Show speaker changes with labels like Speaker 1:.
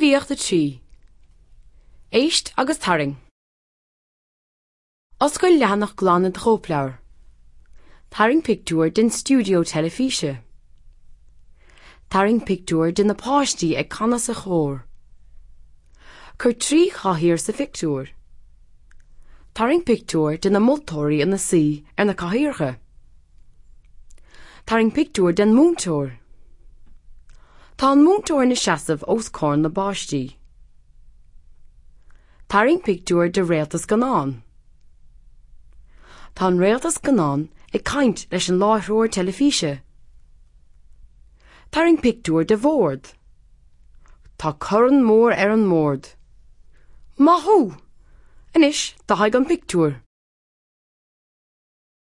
Speaker 1: Gníomhaíocht 3. Éist agus tarraing. Oscail leathanach glan i do chóipleabhar. Tarraing pictiúr den stiúideo teilifíse. Tarraing pictiúr de na páistí ag canadh sa chór. Cuir 3 chathaoir sa phictiúr. Tarraing pictiúr de na moltóirí ina suí ar na cathaoireacha. Tarraing pictiúr den mhúinteoir. Tá an múinteoir ina seasamh os comhair na bpáistí. Tarraing pictiúr de réalta scannáin. Tá an réalta scannáin ag caint leis an láithreoir teilifíse. Tarraing pictiúr de bhord. Tá corn mór ar an mbord. Maith thú! Anois, dathaigh an pictiúr.